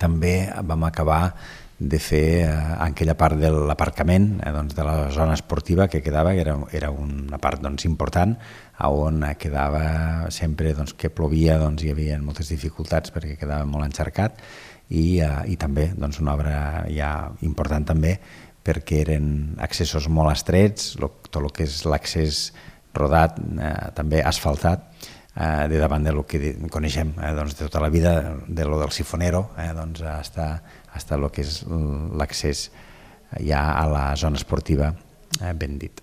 També vam acabar de fer aquella part de l'aparcament, de la zona esportiva que quedava, que era una part important, on quedava sempre que plovia, hi havia moltes dificultats perquè quedava molt encharcat, i també una obra ja important també perquè eren accessos molt estrets, tot el que és l'accés rodat, també asfaltat, de davant del que coneixem de tota la vida, del sifonero, fins el que és l'accés ja a la zona esportiva, ben dit.